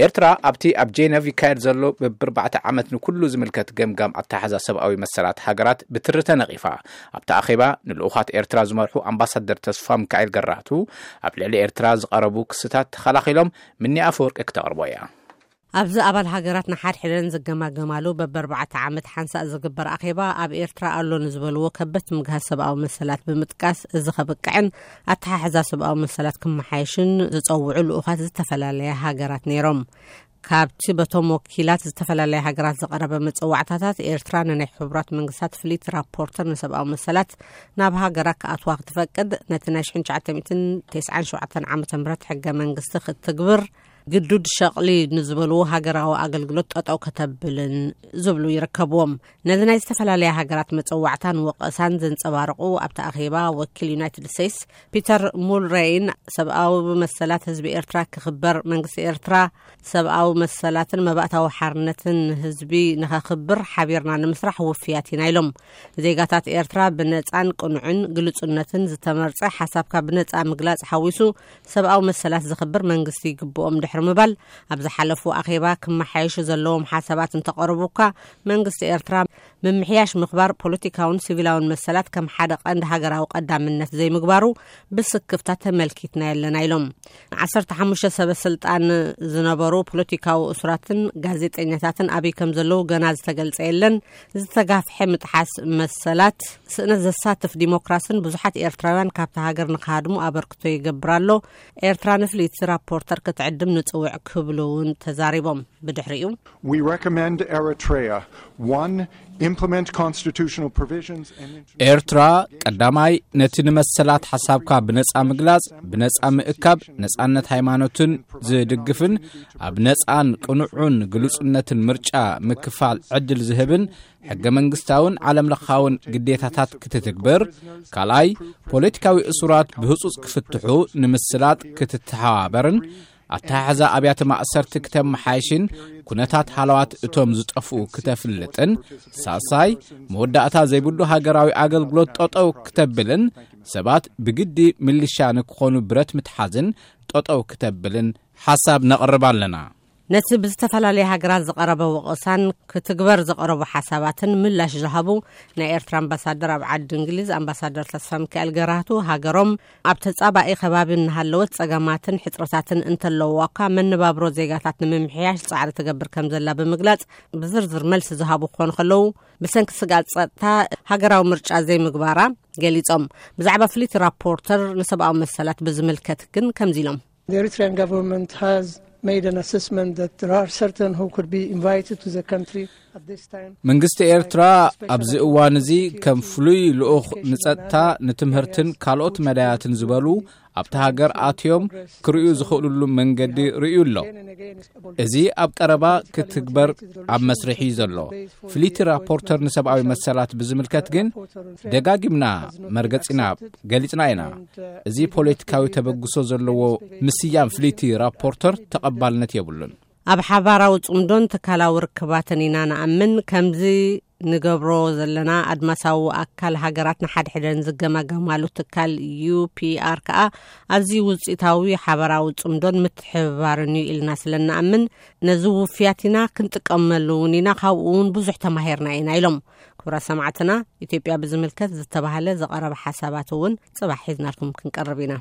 ኤርትራ ኣብቲ ኣብ ጄነቭ ይካየድ ዘሎ በብርባዕተ ዓመት ንኩሉ ዝምልከት ገምጋም ኣተሓሕዛ ሰብኣዊ መሰላት ሃገራት ብትሪ ተነቒፋ። ኣብቲ ኣኼባ ንልኡኻት ኤርትራ ዝመርሑ ኣምባሳደር ተስፋ ሚካኤል ገራህቱ፣ ኣብ ልዕሊ ኤርትራ ዝቐረቡ ክስታት ተኸላኺሎም፣ ምኒ ኣፈወርቂ ክተቕርቦ እያ። ኣብዚ ኣባል ሃገራት ንሓድሕደን ዝገማገማሉ በብኣርባዕተ ዓመት ሓንሳእ ዝግበር ኣኼባ፣ ኣብ ኤርትራ ኣሎ ንዝበልዎ ከበት ምግሃስ ሰብኣዊ መሰላት ብምጥቃስ፣ እዚ ከብቅዕን ኣተሓሕዛ ሰብኣዊ መሰላት ክመሓየሽን ዝጸውዑ ልኡኻት ዝተፈላለያ ሃገራት ነይሮም። ካብቲ በቶም ወኪላት ዝተፈላለያ ሃገራት ዝቐረበ መጸዋዕታታት፣ ኤርትራ ንናይ ሕቡራት መንግስታት ፍሊት ራፖርተር ንሰብኣዊ መሰላት ናብ ሃገራ ክኣትዋ ክትፈቅድ፣ ነቲ ናይ ሽሕን ትሽዓተ ሚእትን ተስዓን ሸውዓተን ዓመተ ምህረት ሕገ መንግስቲ ክትትግብር፣ ግዱድ ሸቕሊ ንዝበልዎ ሃገራዊ ኣገልግሎት ጠጠው ከተብልን ዝብሉ ይርከብዎም። ነዚ ናይ ዝተፈላለያ ሃገራት መጸዋዕታን ወቐሳን ዘንጸባረቑ ኣብቲ ኣኼባ፣ ወኪል ዩናይትድ ስቴትስ ፒተር ሙልሬይን፣ ሰብኣዊ መሰላት ህዝቢ ኤርትራ ክኽበር፣ መንግስቲ ኤርትራ ሰብኣዊ መሰላትን መባእታዊ ሓርነትን ህዝቢ ንኸኽብር ሓቢርና ንምስራሕ ውፍያት ኢና ኢሎም። ዜጋታት ኤርትራ ብነጻን ቅኑዕን ግልጹነትን ዝተመርጸ ሓሳብካ ብነጻ ምግላጽ ሓዊሱ ሰብኣዊ መሰላት ዘኽብር መንግስቲ ይግብኦም ድሕሪ ምባል፣ ኣብ ዝሓለፉ ኣኼባ ክመሓየሹ ዘለዎም ሓሳባት እንተቐረቡ እኳ፣ መንግስቲ ኤርትራ ምምሕያሽ ምኽባር ፖለቲካውን ሲቪላውን መሰላት ከም ሓደ ቀንዲ ሃገራዊ ቀዳምነት ዘይምግባሩ ብስክፍታ ተመልኪትና የለና ኢሎም። ዓሰርተ ሓሙሽተ ሰበ ስልጣን ዝነበሩ ፖለቲካዊ እሱራትን ጋዜጠኛታትን ኣበይ ከም ዘለዉ ገና ዝተገልጸ የለን። ዝተጋፍሐ ምጥሓስ መሰላት፣ ስእነት ዘሳትፍ ዲሞክራስን ብዙሓት ኤርትራውያን ካብቲ ሃገር ንክሃድሙ ኣበርክቶ ይገብር ኣሎ። ኤርትራ ንፍልይቲ ራፖርተር ክትዕድም ንጽውዕ ክብሉ እውን ተዛሪቦም። ብድሕሪኡ We recommend Eritrea, one, implement constitutional provisions and ኤርትራ ቀዳማይ ነቲ ንመሰላት ሓሳብካ ብነጻ ምግላጽ፣ ብነጻ ምእካብ፣ ነጻነት ሃይማኖትን ዝድግፍን ኣብ ነጻን ቅኑዑን ግሉጽነትን ምርጫ ምክፋል ዕድል ዝህብን ሕገ መንግስታውን ዓለም ለኻውን ግዴታታት ክትትግብር፣ ካልኣይ ፖለቲካዊ እሱራት ብህጹጽ ክፍትሑ ንምስላጥ ክትተሓባበርን ኣተሓሕዛ ኣብያተ ማእሰርቲ ክተመሓይሽን ኩነታት ሃለዋት እቶም ዝጠፍኡ ክተፍልጥን፣ ሳልሳይ መወዳእታ ዘይብሉ ሃገራዊ ኣገልግሎት ጠጠው ክተብልን ሰባት ብግዲ ሚሊሻ ንክኾኑ ብረት ምትሓዝን ጠጠው ክተብልን ሓሳብ ነቕርብ ኣለና። ነቲ ብዝተፈላለየ ሃገራት ዝቐረበ ወቐሳን ክትግበር ዝቐረቡ ሓሳባትን ምላሽ ዝሃቡ ናይ ኤርትራ ኣምባሳደር ኣብ ዓዲ እንግሊዝ ኣምባሳደር ተስፋ ሚካኤል ገራህቱ፣ ሃገሮም ኣብ ተጻባኢ ከባቢ እናሃለወት ጸገማትን ሕጽረታትን እንተለውዋ እኳ፣ መነባብሮ ዜጋታት ንምምሕያሽ ጻዕሪ ትገብር ከም ዘላ ብምግላጽ፣ ብዝርዝር መልሲ ዝሃቡ ክኾኑ ከለዉ፣ ብሰንኪ ስግኣት ጸጥታ ሃገራዊ ምርጫ ዘይምግባራ ገሊጾም። ብዛዕባ ፍሊት ራፖርተር ንሰብኣዊ መሰላት ብዝምልከት ግን ከምዚ ኢሎም። The Eritrean government has made an assessment that there are certain who could be invited to the country at this time. መንግስቲ ኤርትራ ኣብዚ እዋን እዚ ከም ፍሉይ ልኡኽ ንጸጥታ፣ ንትምህርትን ካልኦት መዳያትን ዝበሉ ኣብቲ ሃገር ኣትዮም ክርእዩ ዝኽእሉሉ መንገዲ ርእዩ ኣሎ። እዚ ኣብ ቀረባ ክትግበር ኣብ መስርሕ እዩ ዘሎ። ፍሊቲ ራፖርተር ንሰብኣዊ መሰላት ብዝምልከት ግን ደጋጊምና መርገጺና ገሊጽና ኢና። እዚ ፖለቲካዊ ተበግሶ ዘለዎ ምስያም ፍሊቲ ራፖርተር ተቐባልነት የብሉን። ኣብ ሓባራዊ ጽምዶን ትካላዊ ርክባትን ኢና ንኣምን። ከምዚ ንገብሮ ዘለና ኣድማሳዊ ኣካል ሃገራት ንሓድሕደን ዝገማገማሉ ትካል ዩ ፒ ኣር ከኣ ኣዝዩ ውጽኢታዊ ሓባራዊ ጽምዶን ምትሕብባርን እዩ ኢልና ስለ ንኣምን፣ ነዚ ውፍያት ኢና ክንጥቀመሉ እውን ኢና፣ ካብኡ እውን ብዙሕ ተማሂርና ኢና ኢሎም። ክቡራት ሰማዕትና፣ ኢትዮጵያ ብዝምልከት ዝተባህለ ዝቐረበ ሓሳባት እውን ጽባሕ ሒዝናልኩም ክንቀርብ ኢና።